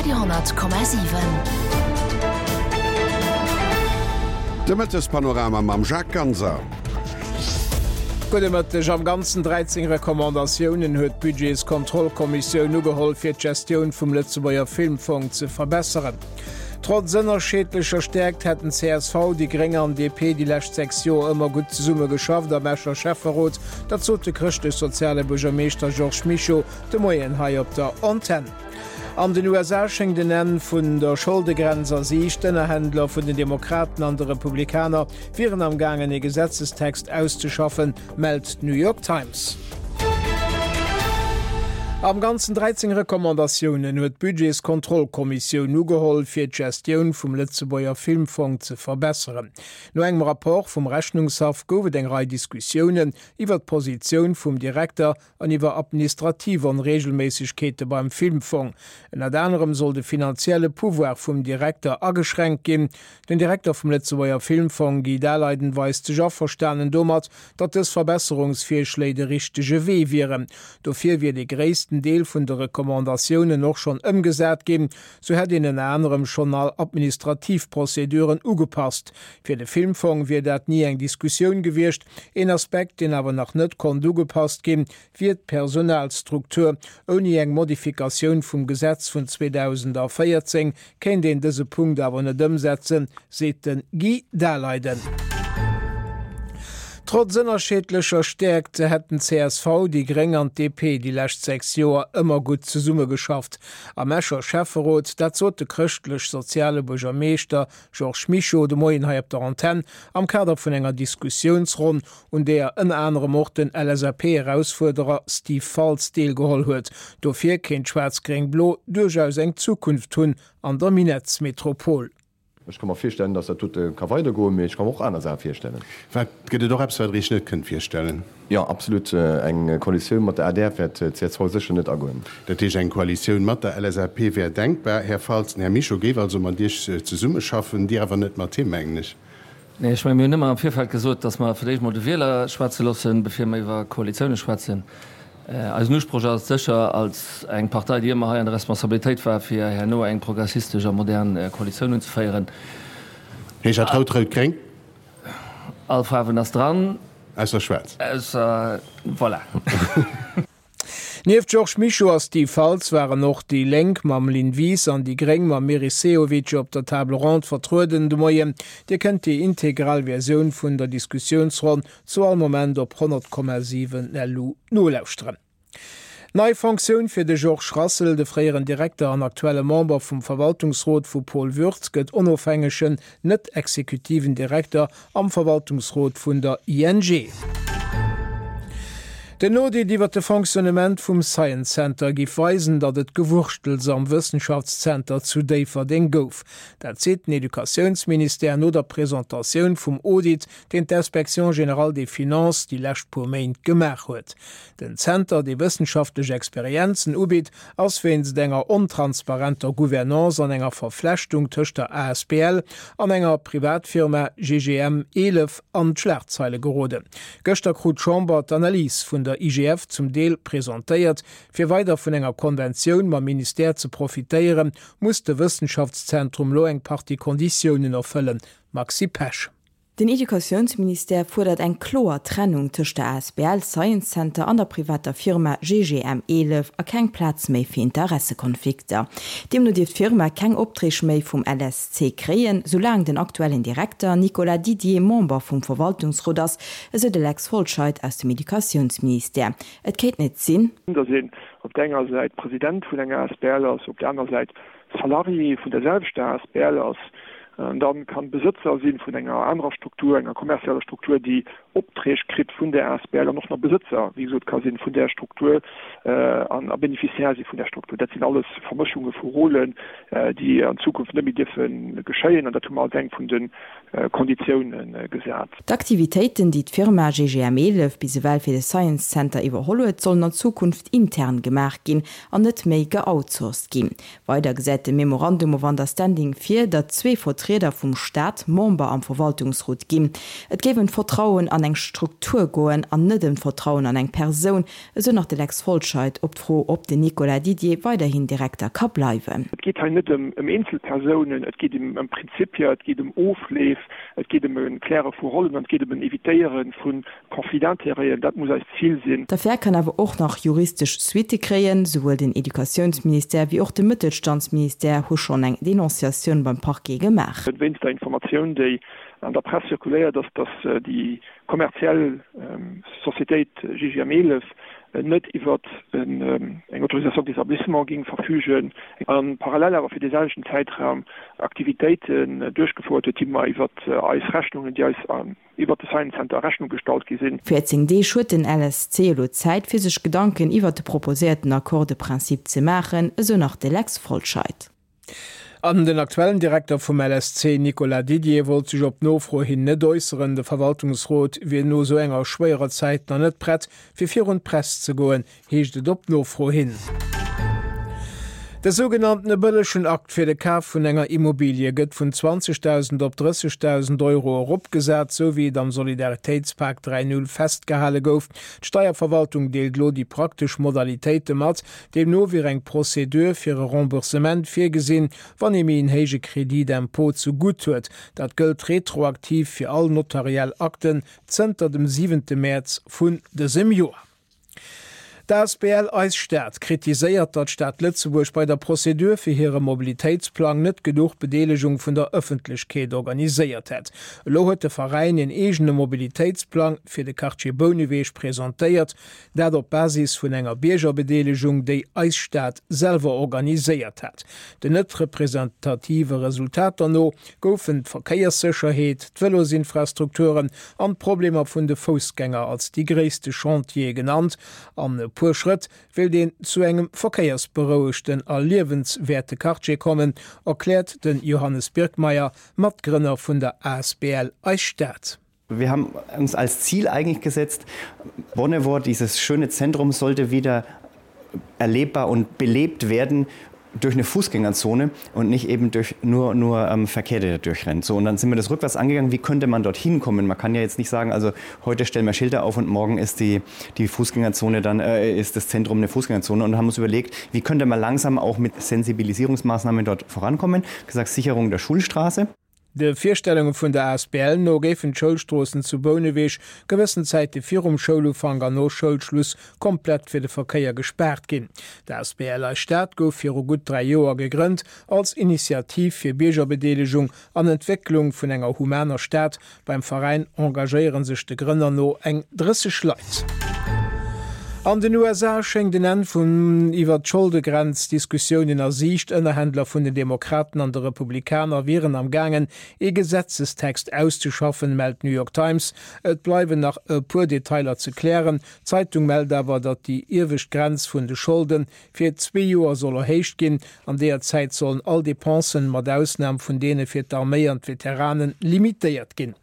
Radio 10,7. De Mëttespanorama mam Jacques Ganser. Gudde Mëtteg. Am Ganzen 13 Recommandatiounen huet d'Budgetskontrollkommissioun ugeholl, fir d'Gestioun vum Lëtzebuerger Filmfong ze verbesseren. Trotz ënnerscheedlecher Stäerkt hätten csv, déi Gréng an DP déi lescht 6 Joer ëmmer gutt zesumme geschafft am Escher Schäfferot. Dat sot de chrëschtlech-soziale Buergermeeschter Georges Mischo de Moien hei op der Antenn. An den USA schéngt en Enn vun der Scholdegrenz a Siicht. D'Ënnerhändler vun den Demokraten an de Republikaner wieren am gaangen ee Gesetzestext auszeschaffen, mellt d'New York Times. Am Ganzen 13 Recommandatiounen huet d'Budgetskontrollkommissioun ugeholl, fir d'Gestioun vum Lëtzebuerger Filmfong ze verbesseren. No engem Rapport vum Rechnungshaff gouf et eng Rei Diskussiounen iwwer d'Positioun vum Direkter an iwwer administrativ Onreegelméissegkeete beim Filmfong. Ënnert anerem soll de finanzielle Pouvoir vum Direkter ageschränkt ginn. Den Direkter vum Lëtzebuerger Filmfong, Guy Daleiden, weist sech averstanen domat, datt dës Verbesserungsvirschléi de richtege Wee wieren. Dofir wier de gréissten Deel vun de Recommandatiounen och schonn ëmgesat ginn. Sou hätt een ënner anerem schonn all administrativ Prozeduren ugepasst. Fir de Filmfong wier dat ni eng Diskussioun gewiescht. Een Aspekt, deen awer nach net konnt ugepasst ginn, wier d'Personalstruktur. Ouni eng Modifikatioun vum Gesetz vun 2014 kéint een dëse Punkt awer net ëmsetzen, seet de Guy Daleiden. Trotz ënnerscheedlecher Stäerkt hätten csv, déi Gréng an d'DP déi lescht 6 Joer ëmmer gutt zesummegeschafft am Escher Schäfferot. Dat sot de chrëschtlech-soziale Buergermeeschter Georges Mischo de Moien hei op der Antenn am Kader vun enger Diskussiounsronn, un deeër ënner anerem och den LSAP-Erausfuerderer Steve Faltz deelgeholl huet. Dofir kéint Schwaarz-Gréng-Blo duerchaus eng Zukunft hunn an der Minettsmetropol. Ech ka mer virstellen, dass dat dote ka weidergoen, mee ech ka mer och aner Saache virstellen. Wat, gëtt et och eppes, wat Der Iech net kënnt virstellen? Jo, absolut. Eng Koalitioun mat der adr wäert csv sécher net agoen. Dat heescht, eng Koalitioun mat der LSAP wär denkbar. Här Faltz, den Här Mischo géif also mat Iech zesummeschaffen, Dir awer net mat him, mengen ech. Nee, ech mengen, mir hunn ëmmer am Virfeld gesot, datt mer fir d'éischt mol de Wieler schwätze loossen, bevir mer iwwer Koalitioune schwätzen. Eisen Usproch ass et sécher, als eng Partei, déi ëmmer hei an der Responsabilitéit war, fir herno eng progressistesch a modern Koalitioun unzeféieren. Heescht dat rout-rout-gréng? All Faarwen ass dran. Ausser schwaarz. Ausser, voilà. Nieft Georges Mischo a Steve Faltz waren och déi Lénk mam Lynn Wies an déi Gréng mam Meris Sehovic op der Table ronde vertrueden de Moien. Dir kënnt déi integral Versioun vun der Diskussiounsronn zu all Moment op 100,7 LU nolauschteren. Nei Fonctioun fir de Georges Rassel, De fréieren Direkter an aktuelle Member vum Verwaltungsrot vu Paul Würth gëtt onofhängegen, net-exekutiven Direkter am Verwaltungsrot vun der ING. Den Audit iwwer de Fonctionnement vum Science Center giff weisen, datt et Gewurschtels am Wëssenschaftszenter zu Déifferdeng gouf. Dat seet den Educatiounsministère no der Presentatioun vum Audit, deen d'Inspection générale des finances déi lescht puer Méint gemaach huet. Den Zenter, dee wëssenschaftlech Experienzen ubitt, ass wéinst enger ontransparenter Gouvernance an enger Verflechtung tëscht der asbl an enger Privatfirma GGM 11 an d'Schlagzeile geroden. Gëschter krut d'Chamber d'Analys vun der IGF zum Deel presentéiert. Fir weider vun enger Konventioun mam Ministère ze profitéieren, muss de Wëssenschaftszentrum lo eng Partie Konditiounen erfëllen. Maxi Pesch. Den Educatiounsministère fuerdert eng kloer Trennung tëscht der asbl Science Center an der privater Firma GGM 11 a keng Plaz méi fir Interessekonflikter. Deemno dierf d'Firma keng Opträg méi vum LSC kréien, soulaang den aktuellen Direkter Nicolas Didier Member vum Verwaltungsrot ass, esou de Lex Folscheid aus dem Educatiounsministère. Et kéint net sinn. Datt een op der enger Säit President vun enger asbl ass, op der aner Säit Salarié vun der selwechter asbl ass, dann kann Besëtzer sinn vun enger anerer Struktur, enger kommerzieller Struktur, déi Opträg kritt vun der asbl an och nach Besëtzer, wéi gesot, ka sinn vun där Struktur an a Bénéficiaire si vun där Struktur. Dat sinn alles Vermëschunge vu Rôlen, déi an Zukunft net méi dierfe geschéien an dat hu mer als eng vun de Konditioune gesat. D'Aktivitéiten, déi d'Firma GGM 11 bis ewell fir de Science Center iwwerholl huet, sollen an Zukunft intern gemaach ginn an net méi geoutsourced ginn. Weider gesäit de Memorandum of Understanding vir, datt zwee Vertrieder vum Staat Member am Verwaltungsrot ginn. Et géif ëm d'Vertrauen an. an eng Struktur goen an net ëm d'Vertrauen an eng Persoun, esou nach de Lex Folscheid op d'Fro, ob den Nicolas Didier weiderhin Direkter ka bleiwen. Et geet hei net ëm Eenzelpersounen, et geet ëm Prinzipien, et geet ëm Ofleef, et geet ëm e Kläre vu Rollen an et geet ëm en Evitéiere vu Conflits d'intérêten. Dat muss eist Zil sinn. D'Affär kann awer och nach juristesch Suitte kréien. Souwuel den Educatiounsministère wéi och de Mëttelstandsministère hu schonn eng Denonciatioun beim Parquet gemaach. Wéinst der Informatioun, déi an der Press zirkuléiert ass, datt déi kommerziell Societéit GGM 11 net iwwer eng Autorisation d'établissement géing verfügen a parallel awer fir dee selwechten Zäitraum Aktivitéiten duerchgefouert huet, déi mer iwwer eis Rechnungen, déi eis iwwer de Science Center a Rechnung gestallt gi sinn. 14 Deeg huet den LSC elo Zäit, fir sech Gedanken iwwer de proposéierten Accord de principe ze maachen, esou nach de Lex Folscheid. An den aktuellen Direkter vum LSC, Nicolas Didier, wollt sech op Nofro hin net äusseren. De Verwaltungsrot wier no esou enger schwéierer Zäit nach net prett, fir virun d'Press ze goen, heescht et op Nofro hin. De sougenanntene bëllegen Akt fir de Kaf vun enger Immobilie gëtt vun 20.000 op 30.000 Euro eropgesat, sou wéi et am Solidaritéitspak 3.0 festgehale gouf. D'Steierverwaltung deelt elo déi praktesch Modalitéite mat. Deemno wier eng Procédure fir e Remboursement virgesinn, wann ee méi en héije Crédit d'impôt zu gutt huet. Dat gëllt retroaktiv fir all notariell Akten zënter dem siwente Mäerz vun dësem Joer. D'asbl Eis Stad kritiséiert, datt d'Stad Lëtzebuerg bei der Procédure fir hire Mobilitéitsplang net genuch Bedeelegung vun der Ëffentlechkeet organiséiert hätt. Elo huet de Veräin een eegene Mobilitéitsplang fir de Quartier Bouneweg presentéiert. Dat op Basis vun enger Biergerbedeelegung, déi Eis Stad selwer organiséiert hat. Den net representative Resultater no goufen d'Verkéierssécherheet, d'Vëlosinfrastrukturen an d'Problemer vun de Foussgänger als déi gréisste Chantiere genannt. An e puer Schrëtt wéilt een zu engem verkéiersberouegten a liewenswäerte Quartier kommen, erkläert de Johannes Birkmayer, Matgrënner vun der asbl Eis Stad. Wir haben uns als Ziel eigentlich gesetzt, Bonnevoie, dieses schöne Zentrum sollte wieder erlebbar und belebt werden durch eine Fußgängerzone und nicht eben durch nur nur ähm, Verkehr der durchrennt. So und dann sind wir das rückwärts angegangen, wie könnte man dorthin kommen? Man kann ja jetzt nicht sagen, also heute stellen wir Schilder auf und morgen ist die, die Fußgängerzone dann äh, ist das Zentrum eine Fußgängerzone und haben uns überlegt, wie könnte man langsam auch mit Sensibilisierungsmaßnahmen dort vorankommen? Gesagt Sicherung der Schulstraße. De Virstellunge vun der asbl no géifen d'Schoulstroossen zu Bouneweg gewëssen Zäite virum Schoulufank an no Schoulschluss komplett fir de Verkéier gespaart ginn. D'asbl Eis Stad gouf viru gutt 3 Joer gegrënnt als Initiativ fir Biergerbedeelegung an Entwécklung vun enger humaner Stad. Beim Veräin engagéiere sech de Grënner no eng 30 Leit. An den USA schéngt en Enn vun iwwer d'Scholdegrenz-Diskussiounen a Siicht. Ënnerhändler vun den Demokraten an de Republikaner wieren am gaangen, ee Gesetzestext auszeschaffen, mellt d'New York Times. Et bleiwen nach e puer Detailer ze klären. D'Zeitung mellt awer, datt déi iewescht Grenz vun de Scholde fir zwee Joer soll erhéicht ginn. An deeër Zäit sollen all Depensen, mat Ausnam vun deene fir d'Arméi an d'Veteranen, limitéiert ginn.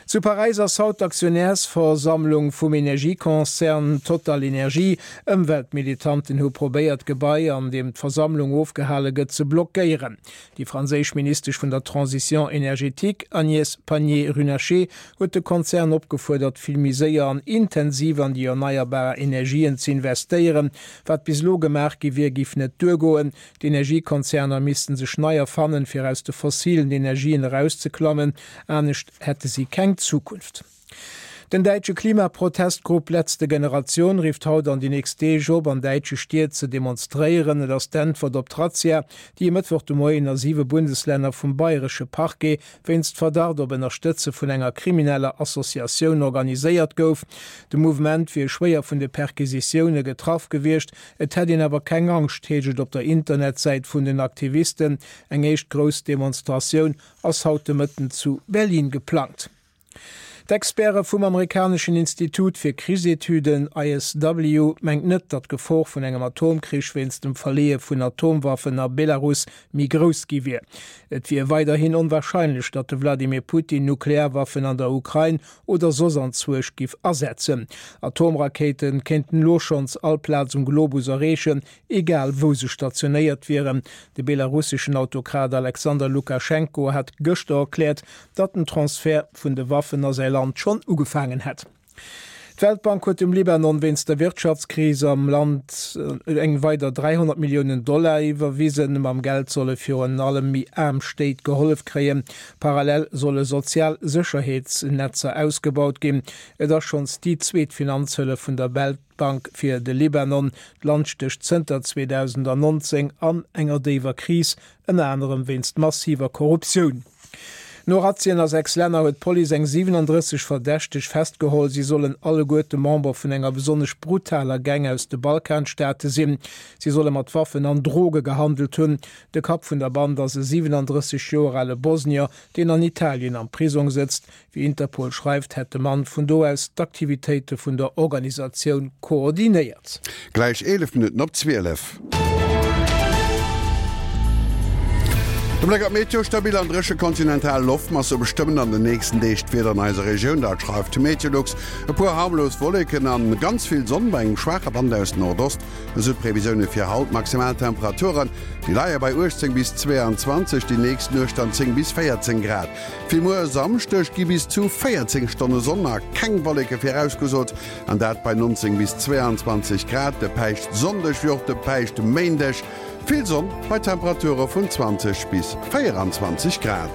Zu Paräis ass haut d'Aktionärsversammlung vum Energiekonzern TotalEnergies. Ëmweltmilitanten hu probéiert, d'Gebai, an deem d'Versammlung ofgehale gëtt, ze blockéieren. Déi franséisch Ministesch vun der Transition énergétique, Agnès Pannier-Runacher, huet de Konzern opgefuerdert, vill méi séier an intensiv an déi erneierbar Energien ze investéieren. Wat bis elo gemaach gi wier, géif net duergoen. D'Energiekonzerner missten sech nei erfannen, fir aus de fossilen Energien erauszeklammen, anescht hätte si keng Zukunft. Den däitsche Klimaprotestgrupp Letzte Generation rifft haut an déi nächst Deeg op, an däitsche Stied ze demonstréieren. Et ass d'Äntwert op d'Razzia, déi e Mëttwoch de Moien a siwe Bundeslänner vum bayresche Parquet wéinst Verdacht op Ënnerstëtze vun enger krimineller Associatioun organiséiert gouf. De Mouvement wier schwéier vun de Perquisitioune getraff gewiescht. Et hätt een awer keng Angscht, heescht et op der Internetsäit vun den Aktivisten. Eng éischt grouss Demonstratioun ass haut de Mëtten zu Berlin geplangt. D'Experte vum amerikaneschen Institut fir Krichsetüden, ISW, mengt net, datt d'Gefor vun engem Atomkrich wéinst dem Verleeë vun Atomwaffen a Belarus méi grouss gi wier. Et wier weiderhin onwarscheinlech, datt de Wladimir Putin Nuklearwaffen an der Ukrain oder soss anzwuesch giff asetzen. Atomrakéite kéinten elo schonns all Plaz um Globus erreechen, egal wou se stationéiert wieren. De belarusseschen Autokrat Alexander Lukaschenko hat gëschter erkläert, datt den Transfert vun de Waffen a säi Land. Land schonn ugefaangen hätt. D'Weltbank huet dem Libanon wéinst der Wirtschaftskris am Land eng weider 300 Milliounen Dollar iwwerwisen. Mam Geld solle virun allem méi aarm Stéit gehollef kréien. Parallel solle sozial Sécherheetsnetzer ausgebaut ginn. Et ass schonns déi zweet Finanzhëllef vun der Weltbank fir de Libanon. D'Land stécht zënter 2019 an enger déiwer Kris, ënner anerem wéinst massiver Korruptioun. No Razzien a 6 Länner huet d'Police eng 37 Verdächteg festgeholl. Si sollen alleguerte Member vun enger besonnesch brutaler Gang aus de Balkanstaate sinn. Si solle mat Waffen an Droge gehandelt hunn. De Kapp vun der Band ass e 37 Joer ale Bosnier, deen an Italien am Prisong sëtzt. Wéi Interpol schreift, hätt de Mann vun do aus d'Aktivitéite vun der Organisatioun koordinéiert. Gläich 11 Minutten op 12. De Bléck op d'Meteo, Stabil an dréche kontinental Loftmasse bestëmmen an den nächsten Deeg d'Wieder an eiser Regioun, dat schreift Meteolux. E puer harmlos Wolleken an ganz vill Sonn bei engem schwaache Wand aus Nordost, esou d'Previsioune fir haut. Maximaltemperaturen, déi leie bei 18 bis 22, déi nächst Nuecht dann 10 bis 14 Grad. Fir muer e Samschdeg gi bis zu 14 Stonne Sonn a keng Wolleke virausgesot, an dat bei 19 bis 22 Grad. De Päischtsonndeg wéi och de Päischtméindeg vill Sonn bei Temperature vun 20 bis 24 Grad.